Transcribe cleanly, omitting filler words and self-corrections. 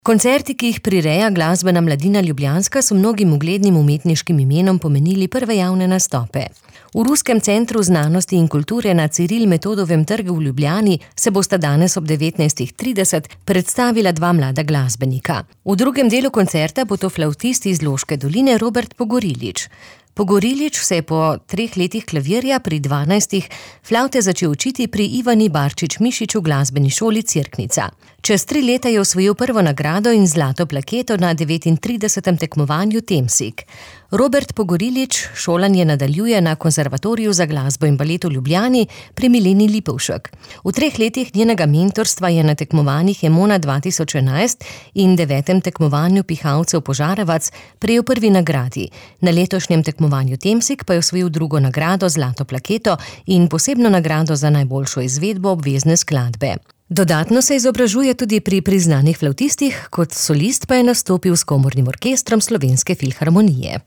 Koncerti, ki jih prireja Glasbena mladina Ljubljanska, so mnogim uglednim umetniškim imenom pomenili prve javne nastope. V Ruskem centru znanosti in kulture na Ciril Metodovem trgu v Ljubljani se bosta danes ob 19:30 predstavila dva mlada glasbenika. V drugem delu koncerta bo to flavtist iz Loške doline Robert Pogorilič. Pogorilič se je po 3 letih klavirja pri 12 flavte začel učiti pri Ivani Barčič-Mišič v glasbeni šoli Cerknica. Čez 3 leta je osvojil prvo nagrado in zlato plaketo na 39. tekmovanju Temsig. Robert Pogorilič šolanje nadaljuje na Konservatoriju za glasbo in balet v Ljubljani pri Mileni Lipovšek. V 3 letih njenega mentorstva je na tekmovanjih Emona 2011 in 9. tekmovanju Pihalcev Požarevac prejel prvi nagradi. Na letošnjem tekmovanju Temsig pa je osvojil drugo nagrado, zlato plaketo in posebno nagrado za najboljšo izvedbo obvezne skladbe. Dodatno se izobražuje tudi pri priznanih flavtistih, kot solist pa je nastopil s komornim orkestrom Slovenske filharmonije.